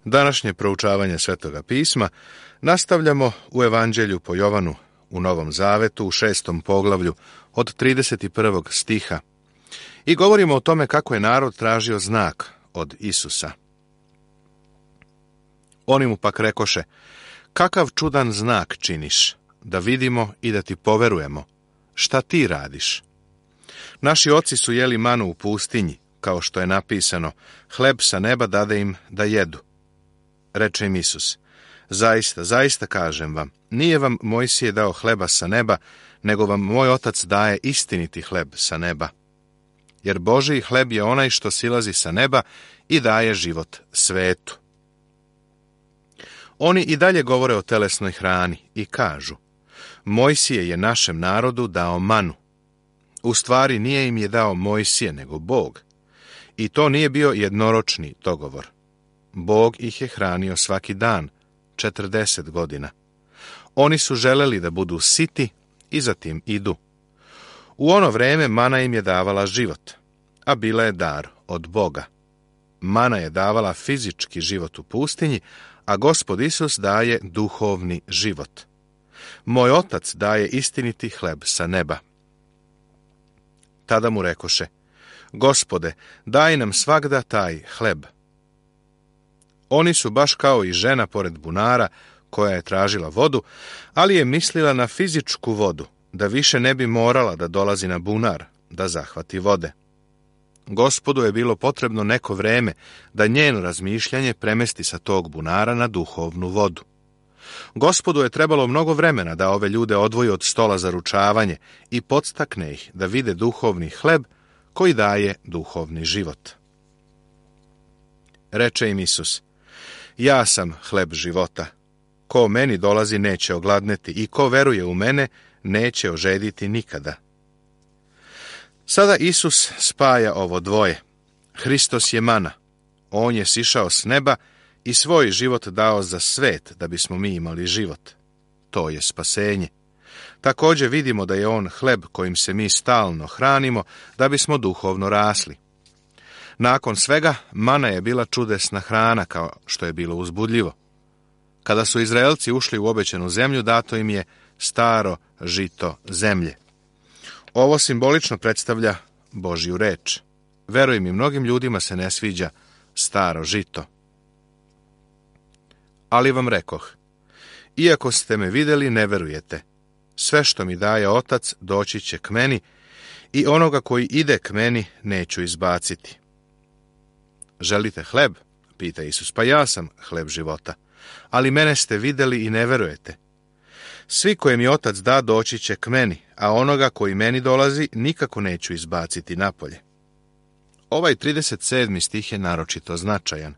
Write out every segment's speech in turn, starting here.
Današnje proučavanje Svetoga pisma nastavljamo u Evanđelju po Jovanu u Novom Zavetu u 6. poglavlju od 31. stiha i govorimo o tome kako je narod tražio znak od Isusa. Oni mu pak rekoše: kakav čudan znak činiš, da vidimo i da ti poverujemo? Šta ti radiš? Naši oci su jeli manu u pustinji, kao što je napisano, hleb sa neba dade im da jedu. Reče im Isus: zaista, zaista kažem vam, nije vam Mojsije dao hleba sa neba, nego vam moj otac daje istiniti hleb sa neba. Jer Božiji hleb je onaj što silazi sa neba i daje život svetu. Oni i dalje govore o telesnoj hrani i kažu: Mojsije je našem narodu dao manu. U stvari nije im je dao Mojsije, nego Bog. I to nije bio jednoročni dogovor. Bog ih je hranio svaki dan, 40 godina. Oni su želeli da budu siti i zatim idu. U ono vreme mana im je davala život, a bila je dar od Boga. Mana je davala fizički život u pustinji, a Gospod Isus daje duhovni život. Moj otac daje istiniti hleb sa neba. Tada mu rekoše: Gospode, daj nam svagda taj hleb. Oni su baš kao i žena pored bunara, koja je tražila vodu, ali je mislila na fizičku vodu, da više ne bi morala da dolazi na bunar, da zahvati vode. Gospodu je bilo potrebno neko vreme da njeno razmišljanje premesti sa tog bunara na duhovnu vodu. Gospodu je trebalo mnogo vremena da ove ljude odvoji od stola za ručavanje i podstakne ih da vide duhovni hleb koji daje duhovni život. Reče im Isus: ja sam hleb života. Ko meni dolazi neće ogladneti i ko veruje u mene neće ožediti nikada. Sada Isus spaja ovo dvoje. Hristos je mana. On je sišao s neba i svoj život dao za svet da bismo mi imali život. To je spasenje. Također vidimo da je on hleb kojim se mi stalno hranimo da bismo duhovno rasli. Nakon svega, mana je bila čudesna hrana, kao što je bilo uzbudljivo. Kada su Izraelci ušli u obećanu zemlju, dato im je staro žito zemlje. Ovo simbolično predstavlja Božju reč. Veruj mi, mnogim ljudima se ne sviđa staro žito. Ali vam rekoh, iako ste me vidjeli, ne verujete. Sve što mi daje Otac doći će k meni i onoga koji ide k meni neću izbaciti. Želite hleb? Pita Isus. Pa ja sam hleb života. Ali mene ste vidjeli i ne verujete. Svi koje mi Otac da doći će k meni, a onoga koji meni dolazi nikako neću izbaciti napolje. Ovaj 37. stih je naročito značajan.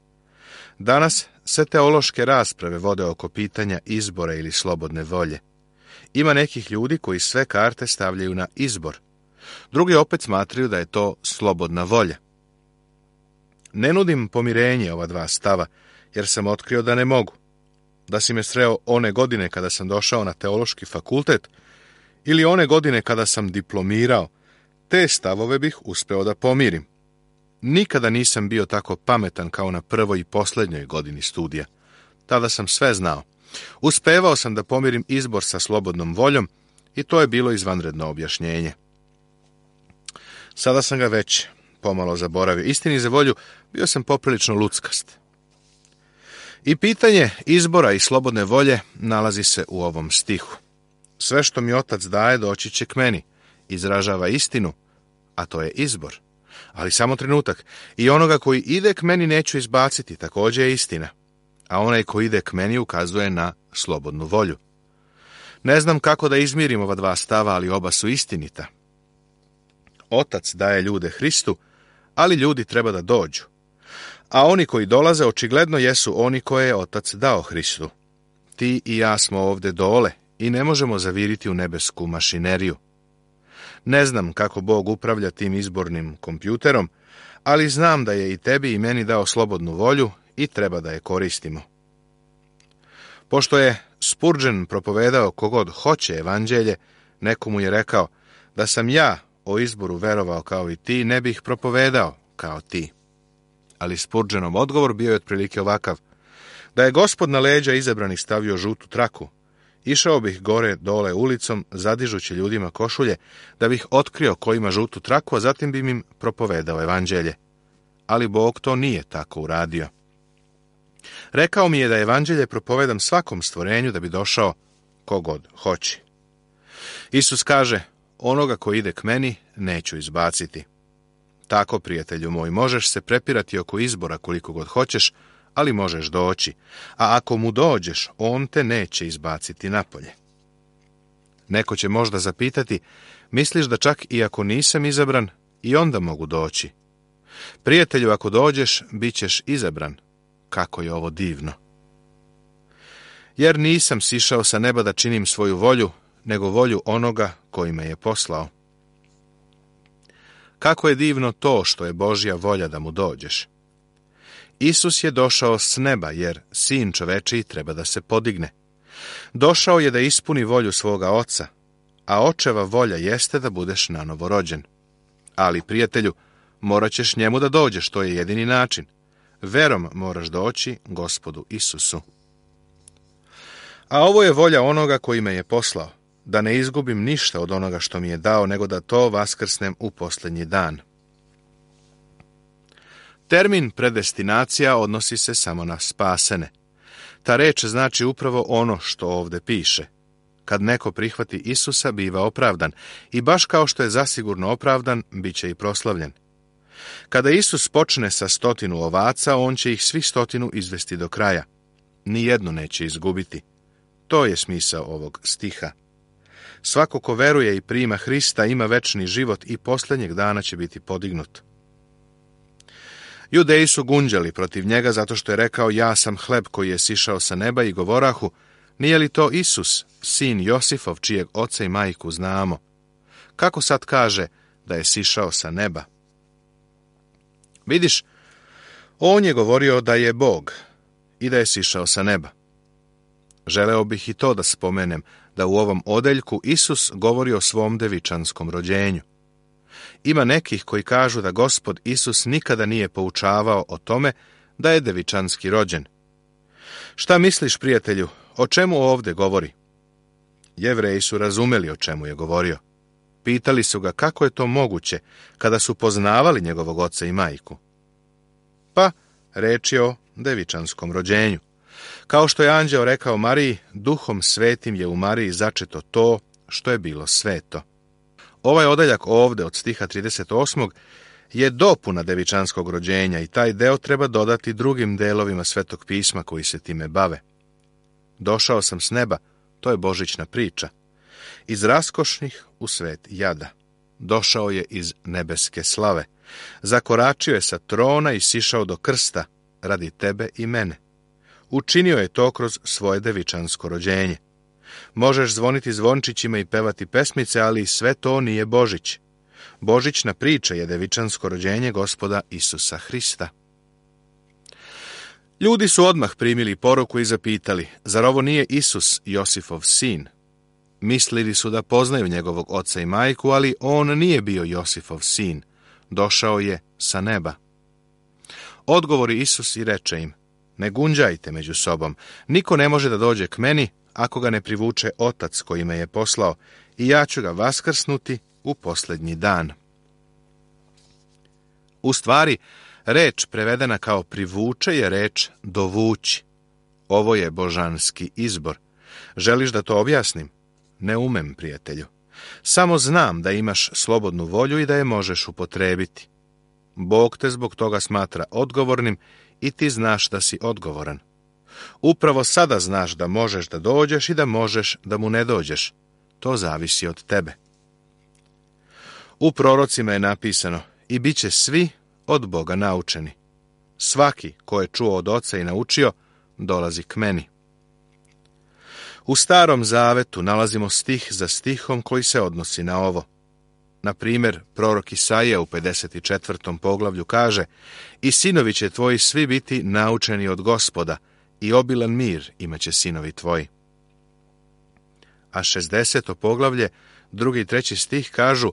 Danas se teološke rasprave vode oko pitanja izbora ili slobodne volje. Ima nekih ljudi koji sve karte stavljaju na izbor. Drugi opet smatraju da je to slobodna volja. Ne nudim pomirenje ova dva stava, jer sam otkrio da ne mogu. Da si me sreo one godine kada sam došao na teološki fakultet ili one godine kada sam diplomirao, te stavove bih uspeo da pomirim. Nikada nisam bio tako pametan kao na prvoj i posljednjoj godini studija. Tada sam sve znao. Uspevao sam da pomirim izbor sa slobodnom voljom i to je bilo izvanredno objašnjenje. Sada sam ga već pomalo zaboravio. Istini za volju, bio sam poprilično luckast. I pitanje izbora i slobodne volje nalazi se u ovom stihu. Sve što mi Otac daje doći će k meni, izražava istinu, a to je izbor. Ali samo trenutak, i onoga koji ide k meni neću izbaciti, također je istina. A onaj koji ide k meni ukazuje na slobodnu volju. Ne znam kako da izmirim ova dva stava, ali oba su istinita. Otac daje ljude Hristu, ali ljudi treba da dođu. A oni koji dolaze očigledno jesu oni koje je Otac dao Hristu. Ti i ja smo ovdje dole i ne možemo zaviriti u nebesku mašineriju. Ne znam kako Bog upravlja tim izbornim kompjuterom, ali znam da je i tebi i meni dao slobodnu volju i treba da je koristimo. Pošto je Spurgeon propovedao kogod hoće evanđelje, neko mu je rekao: da sam ja o izboru verovao kao i ti, ne bih propovedao kao ti. Ali Spurgeonov odgovor bio je otprilike ovakav: Da je Gospod na leđa izabranih stavio žutu traku, išao bih gore dole ulicom, zadižući ljudima košulje, da bih otkrio ko ima žutu traku, a zatim bi im propovedao evanđelje. Ali Bog to nije tako uradio. Rekao mi je da evanđelje propovedam svakom stvorenju da bi došao kogod hoće. Isus kaže, onoga ko ide k meni, neću izbaciti. Tako, prijatelju moj, možeš se prepirati oko izbora koliko god hoćeš, ali možeš doći, a ako mu dođeš, on te neće izbaciti napolje. Neko će možda zapitati, misliš da čak i ako nisam izabran, i onda mogu doći? Prijatelju, ako dođeš, bit ćeš izabran. Kako je ovo divno! Jer nisam sišao sa neba da činim svoju volju, nego volju onoga koji me je poslao. Kako je divno to što je Božja volja da mu dođeš. Isus je došao s neba, jer Sin čovečiji treba da se podigne. Došao je da ispuni volju svoga Oca, a Očeva volja jeste da budeš nanovo rođen. Ali, prijatelju, morat ćeš njemu da dođeš, to je jedini način. Verom moraš doći Gospodu Isusu. A ovo je volja onoga koji me je poslao, da ne izgubim ništa od onoga što mi je dao, nego da to vaskrsnem u posljednji dan. Termin predestinacija odnosi se samo na spasene. Ta reč znači upravo ono što ovdje piše. Kad neko prihvati Isusa, biva opravdan, i baš kao što je zasigurno opravdan, bit će i proslavljen. Kada Isus počne sa 100 ovaca, on će ih svih 100 izvesti do kraja. Nijednu neće izgubiti. To je smisao ovog stiha. Svako ko veruje i prima Hrista ima večni život i posljednjeg dana će biti podignut. Judeji su gunđali protiv njega zato što je rekao, ja sam hleb koji je sišao sa neba, i govorahu, nije li to Isus, sin Josifov, čijeg oca i majku znamo? Kako sad kaže da je sišao sa neba? Vidiš, on je govorio da je Bog i da je sišao sa neba. Želeo bih i to da spomenem, da u ovom odeljku Isus govori o svom devičanskom rođenju. Ima nekih koji kažu da Gospod Isus nikada nije poučavao o tome da je devičanski rođen. Šta misliš, prijatelju, o čemu ovdje govori? Jevreji su razumeli o čemu je govorio. Pitali su ga kako je to moguće kada su poznavali njegovog oca i majku. Pa, reč je o devičanskom rođenju. Kao što je anđeo rekao Mariji, Duhom Svetim je u Mariji začeto to što je bilo sveto. Ovaj odeljak ovdje od stiha 38. je dopuna devičanskog rođenja i taj deo treba dodati drugim delovima Svetog pisma koji se time bave. Došao sam s neba, to je božićna priča. Iz raskošnih u svet jada. Došao je iz nebeske slave. Zakoračio je sa trona i sišao do krsta radi tebe i mene. Učinio je to kroz svoje devičansko rođenje. Možeš zvoniti zvončićima i pevati pesmice, ali sve to nije Božić. Božićna priča je devičansko rođenje Gospoda Isusa Hrista. Ljudi su odmah primili poruku i zapitali, zar ovo nije Isus, Josifov sin? Mislili su da poznaju njegovog oca i majku, ali on nije bio Josifov sin. Došao je sa neba. Odgovori Isus i reče im, ne gunđajte među sobom, niko ne može da dođe k meni ako ga ne privuče Otac koji me je poslao, i ja ću ga vaskrsnuti u posljednji dan. U stvari, reč prevedena kao privuče je reč dovući. Ovo je božanski izbor. Želiš da to objasnim? Ne umem, prijatelju. Samo znam da imaš slobodnu volju i da je možeš upotrebiti. Bog te zbog toga smatra odgovornim i ti znaš da si odgovoran. Upravo sada znaš da možeš da dođeš i da možeš da mu ne dođeš. To zavisi od tebe. U prorocima je napisano, i bit će svi od Boga naučeni. Svaki ko je čuo od Oca i naučio, dolazi k meni. U Starom Zavetu nalazimo stih za stihom koji se odnosi na ovo. Na primjer, prorok Isaija u 54. poglavlju kaže, i sinovi će tvoji svi biti naučeni od Gospoda, i obilan mir imaće sinovi tvoji. A 60. poglavlje, 2. i 3. stih kažu,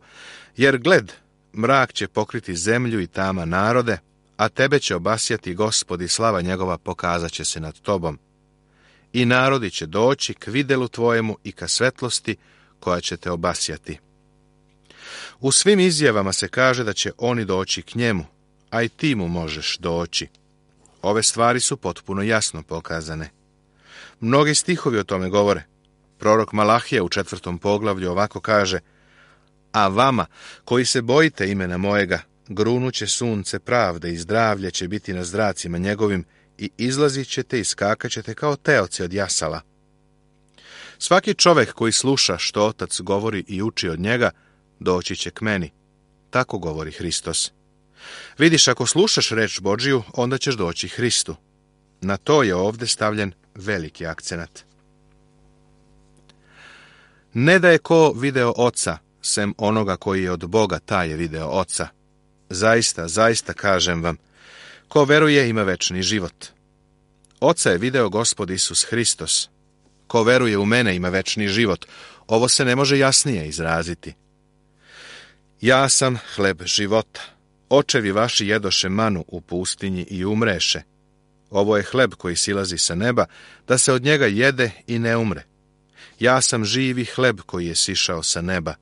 jer gled, mrak će pokriti zemlju i tama narode, a tebe će obasjati Gospod i slava njegova pokazat će se nad tobom. I narodi će doći k videlu tvojemu i ka svetlosti koja će te obasjati. U svim izjavama se kaže da će oni doći k njemu, a i ti mu možeš doći. Ove stvari su potpuno jasno pokazane. Mnogi stihovi o tome govore. Prorok Malahija u 4. poglavlju ovako kaže: a vama, koji se bojite imena mojega, grunuće sunce pravde i zdravlje će biti na zracima njegovim i izlazit ćete i skakat ćete kao teoci od jasala. Svaki čovjek koji sluša što Otac govori i uči od njega, doći će k meni. Tako govori Hristos. Vidiš, ako slušaš reč Božiju, onda ćeš doći Hristu. Na to je ovdje stavljen veliki akcenat. Ne da je ko video Oca, sem onoga koji je od Boga, taj je video Oca. Zaista, zaista kažem vam, ko veruje ima večni život. Oca je video Gospod Isus Hristos. Ko veruje u mene ima večni život. Ovo se ne može jasnije izraziti. Ja sam hleb života. Očevi vaši jedoše manu u pustinji i umreše. Ovo je hleb koji silazi sa neba, da se od njega jede i ne umre. Ja sam živi hleb koji je sišao sa neba.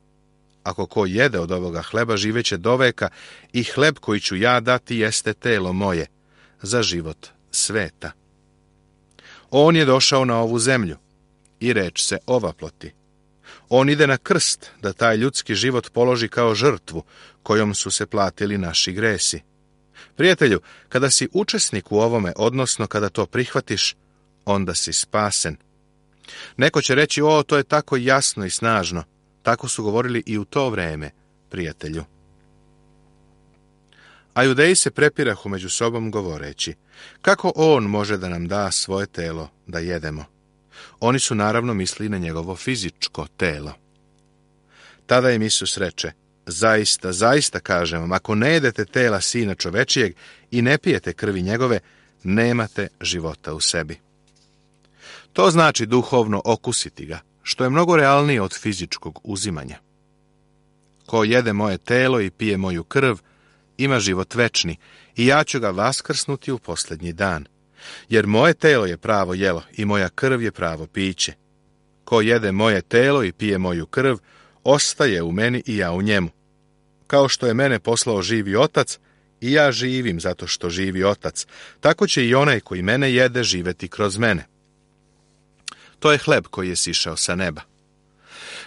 Ako ko jede od ovoga hleba, živeće doveka i hleb koji ću ja dati jeste telo moje, za život sveta. On je došao na ovu zemlju i reč se ovaploti. On ide na krst da taj ljudski život položi kao žrtvu kojom su se platili naši gresi. Prijatelju, kada si učesnik u ovome, odnosno kada to prihvatiš, onda si spasen. Neko će reći: o, to je tako jasno i snažno. Tako su govorili i u to vreme, prijatelju. A Judeji se prepirahu među sobom govoreći: kako on može da nam da svoje telo da jedemo? Oni su naravno mislili na njegovo fizičko telo. Tada im Isus reče: zaista, zaista kažem vam, ako ne jedete tela Sina čovečijeg i ne pijete krvi njegove, nemate života u sebi. To znači duhovno okusiti ga, što je mnogo realnije od fizičkog uzimanja. Ko jede moje telo i pije moju krv, ima život večni i ja ću ga vaskrsnuti u posljednji dan. Jer moje telo je pravo jelo i moja krv je pravo piće. Ko jede moje telo i pije moju krv, ostaje u meni i ja u njemu. Kao što je mene poslao živi Otac, i ja živim zato što živi Otac, tako će i onaj koji mene jede živjeti kroz mene. To je hleb koji je sišao sa neba.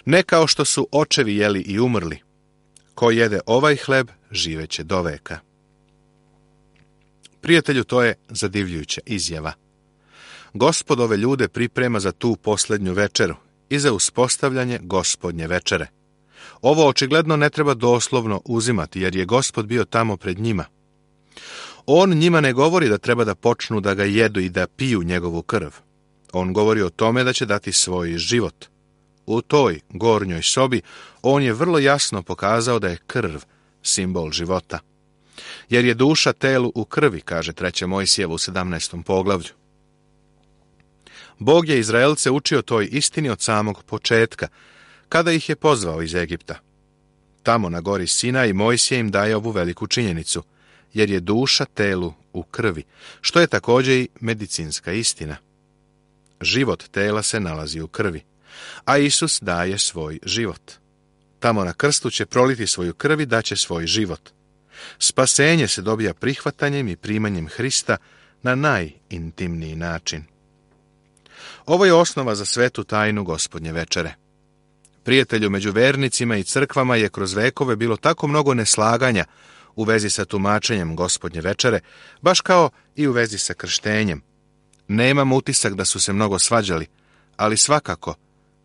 Ne kao što su očevi jeli i umrli. Ko jede ovaj hleb, živeće doveka. Prijatelju, to je zadivljujuća izjava. Gospod ove ljude priprema za tu posljednju večeru i za uspostavljanje Gospodnje večere. Ovo očigledno ne treba doslovno uzimati, jer je Gospod bio tamo pred njima. On njima ne govori da treba da počnu da ga jedu i da piju njegovu krv. On govori o tome da će dati svoj život. U toj gornjoj sobi on je vrlo jasno pokazao da je krv simbol života. Jer je duša telu u krvi, kaže 3. Mojsijevo u 17. poglavlju. Bog je Izraelce učio toj istini od samog početka, kada ih je pozvao iz Egipta. Tamo na gori Sinaj Mojsije im daje ovu veliku činjenicu, jer je duša telu u krvi, što je također i medicinska istina. Život tela se nalazi u krvi, a Isus daje svoj život. Tamo na krstu će proliti svoju krv i daće svoj život. Spasenje se dobija prihvatanjem i primanjem Hrista na najintimniji način. Ovo je osnova za svetu tajnu Gospodnje večere. Prijatelju, među vernicima i crkvama je kroz vekove bilo tako mnogo neslaganja u vezi sa tumačenjem Gospodnje večere, baš kao i u vezi sa krštenjem. Nemam utisak da su se mnogo svađali, ali svakako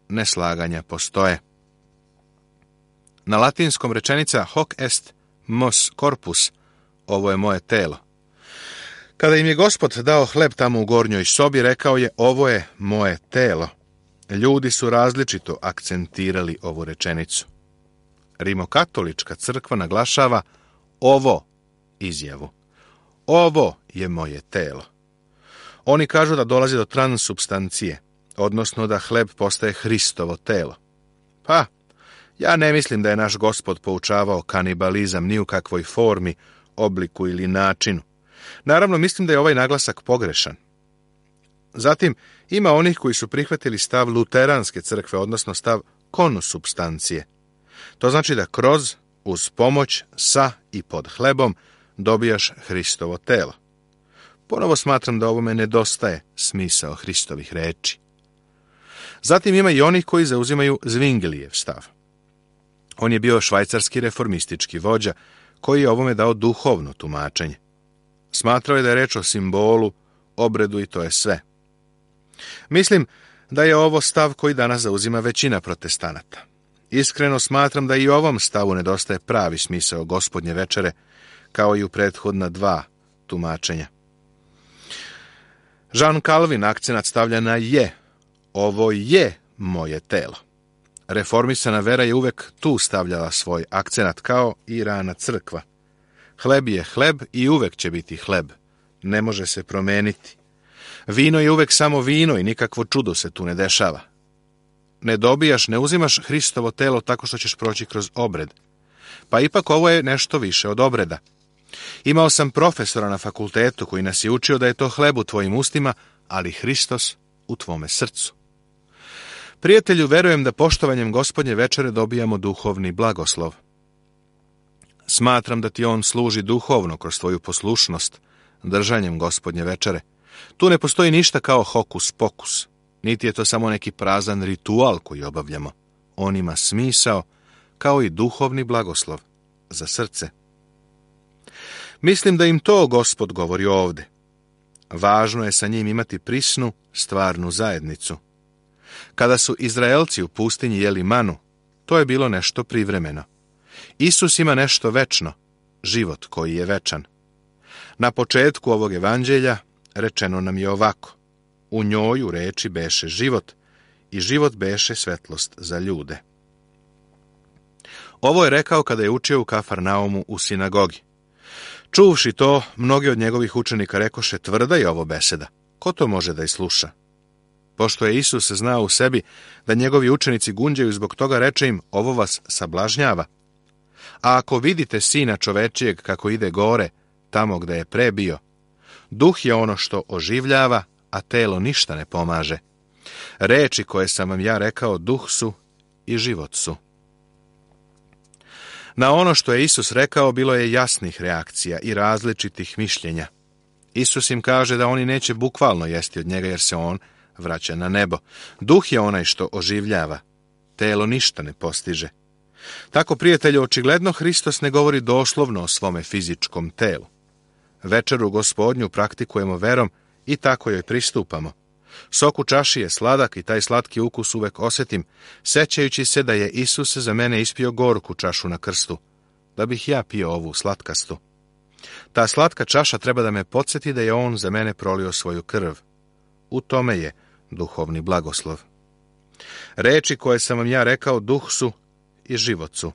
neslaganja postoje. Na latinskom rečenica hoc est mos corpus, ovo je moje telo. Kada im je Gospod dao hleb tamo u gornjoj sobi, rekao je: ovo je moje telo. Ljudi su različito akcentirali ovu rečenicu. Rimokatolička crkva naglašava ovo izjavu. Ovo je moje telo. Oni kažu da dolazi do transsubstancije, odnosno da hleb postaje Hristovo telo. Pa, ja ne mislim da je naš Gospod poučavao kanibalizam ni u kakvoj formi, obliku ili načinu. Naravno, mislim da je ovaj naglasak pogrešan. Zatim, ima onih koji su prihvatili stav luteranske crkve, odnosno stav konsupstancije. To znači da kroz, uz pomoć, sa i pod hlebom dobijaš Hristovo telo. Ponovo smatram da ovome nedostaje smisao Hristovih reči. Zatim ima i onih koji zauzimaju Zwinglijev stav. On je bio švajcarski reformistički vođa koji je ovome dao duhovno tumačenje. Smatrao je da je reč o simbolu, obredu i to je sve. Mislim da je ovo stav koji danas zauzima većina protestanata. Iskreno smatram da i u ovom stavu nedostaje pravi smisao Gospodnje večere, kao i u prethodna dva tumačenja. Jean Calvin akcenat stavlja na je. Ovo je moje telo. Reformisana vera je uvek tu stavljala svoj akcenat, kao i rana crkva. Hleb je hleb i uvek će biti hleb. Ne može se promeniti. Vino je uvek samo vino i nikakvo čudo se tu ne dešava. Ne uzimaš Hristovo telo tako što ćeš proći kroz obred. Pa ipak ovo je nešto više od obreda. Imao sam profesora na fakultetu koji nas je učio da je to hleb u tvojim ustima, ali Hristos u tvome srcu. Prijatelju, verujem da poštovanjem Gospodnje večere dobijamo duhovni blagoslov. Smatram da ti on služi duhovno kroz tvoju poslušnost, držanjem Gospodnje večere. Tu ne postoji ništa kao hokus pokus, niti je to samo neki prazan ritual koji obavljamo. On ima smisao, kao i duhovni blagoslov za srce. Mislim da im to Gospod govori ovde. Važno je sa njim imati prisnu, stvarnu zajednicu. Kada su Izraelci u pustinji jeli manu, to je bilo nešto privremeno. Isus ima nešto večno, život koji je večan. Na početku ovog evanđelja rečeno nam je ovako: u njoj u reči beše život, i život beše svetlost za ljude. Ovo je rekao kada je učio u Kafarnaumu u sinagogi. Čuvši to, mnogi od njegovih učenika rekoše: tvrda je ovo beseda, ko to može da je sluša? Pošto je Isus znao u sebi da njegovi učenici gunđaju zbog toga, reče im: ovo vas sablažnjava. A ako vidite Sina čovečijeg kako ide gore, tamo gde je pre bio, duh je ono što oživljava, a telo ništa ne pomaže. Reči koje sam vam ja rekao duh su i život su. Na ono što je Isus rekao bilo je jasnih reakcija i različitih mišljenja. Isus im kaže da oni neće bukvalno jesti od njega jer se on vraća na nebo. Duh je onaj što oživljava, telo ništa ne postiže. Tako, prijatelju, očigledno Hristos ne govori doslovno o svome fizičkom telu. Večeru Gospodnju praktikujemo verom i tako joj pristupamo. Sok u čaši je sladak i taj slatki ukus uvek osjetim, sećajući se da je Isus za mene ispio gorku čašu na krstu, da bih ja pio ovu slatkastu. Ta slatka čaša treba da me podsjeti da je on za mene prolio svoju krv. U tome je duhovni blagoslov. Reči koje sam vam ja rekao duh su i život su.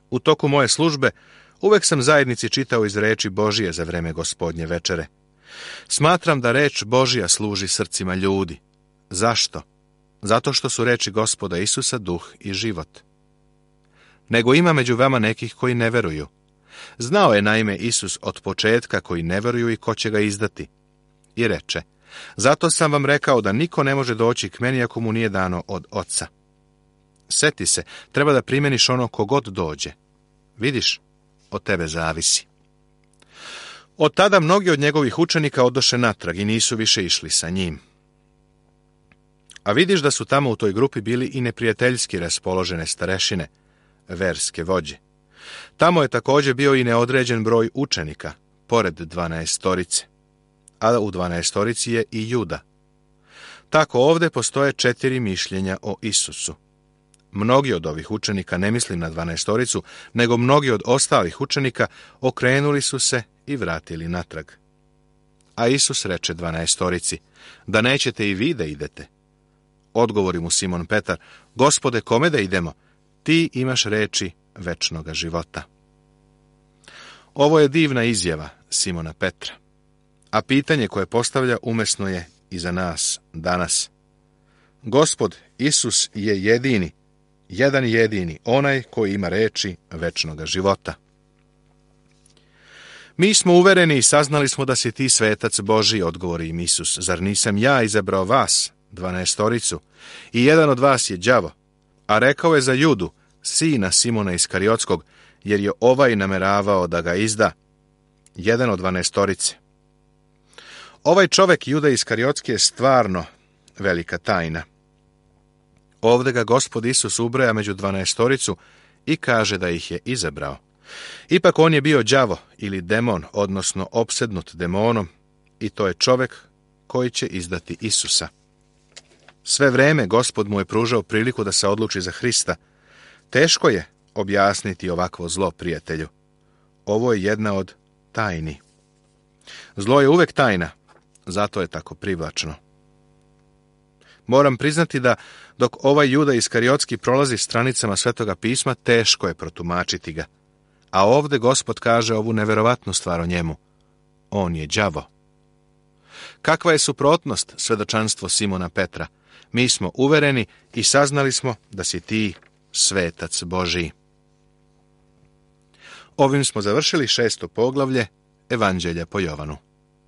U toku moje službe uvek sam zajednici čitao iz reči Božije za vreme Gospodnje večere. Smatram da reč Božija služi srcima ljudi. Zašto? Zato što su reči Gospoda Isusa duh i život. Nego ima među vama nekih koji ne veruju. Znao je naime Isus od početka koji ne veruju i ko će ga izdati. I reče: zato sam vam rekao da niko ne može doći k meni ako mu nije dano od Oca. Seti se, treba da primeniš ono kogod dođe. Vidiš, od tebe zavisi. Od tada mnogi od njegovih učenika odoše natrag i nisu više išli sa njim. A vidiš da su tamo u toj grupi bili i neprijateljski raspoložene starešine, verske vođe. Tamo je također bio i neodređen broj učenika, pored 12-torice. A u 12-torici je i Juda. Tako ovdje postoje 4 mišljenja o Isusu. Mnogi od ovih učenika, ne mislim na 12-toricu, nego mnogi od ostalih učenika, okrenuli su se i vratili natrag. A Isus reče 12-torici: da nećete i vi da idete. Odgovori mu Simon Petar: Gospode, kome da idemo? Ti imaš reči večnoga života. Ovo je divna izjava Simona Petra. A pitanje koje postavlja umesno je i za nas danas. Gospod Isus je jedini, jedan jedini, onaj koji ima reči večnoga života. Mi smo uvereni i saznali smo da si ti svetac Božji, odgovori im Isus. Zar nisam ja izabrao vas, 12, i jedan od vas je đavo? A rekao je za Judu, sina Simona Iskariotskog, jer je ovaj nameravao da ga izda, jedan od 12. Ovaj čovek Juda Iskariotski je stvarno velika tajna. Ovde ga Gospod Isus ubraja među 12 i kaže da ih je izabrao. Ipak on je bio đavo ili demon, odnosno opsednut demonom, i to je čovek koji će izdati Isusa. Sve vreme Gospod mu je pružao priliku da se odluči za Hrista. Teško je objasniti ovakvo zlo, prijatelju. Ovo je jedna od tajni. Zlo je uvek tajna, zato je tako privlačno. Moram priznati da dok ovaj Juda Iskariotski prolazi stranicama Svetoga pisma, teško je protumačiti ga. A ovde Gospod kaže ovu neverovatnu stvar o njemu. On je đavo. Kakva je suprotnost svedočanstvo Simona Petra? Mi smo uvereni i saznali smo da si ti svetac Božiji. Ovim smo završili 6. poglavlje Evanđelja po Jovanu.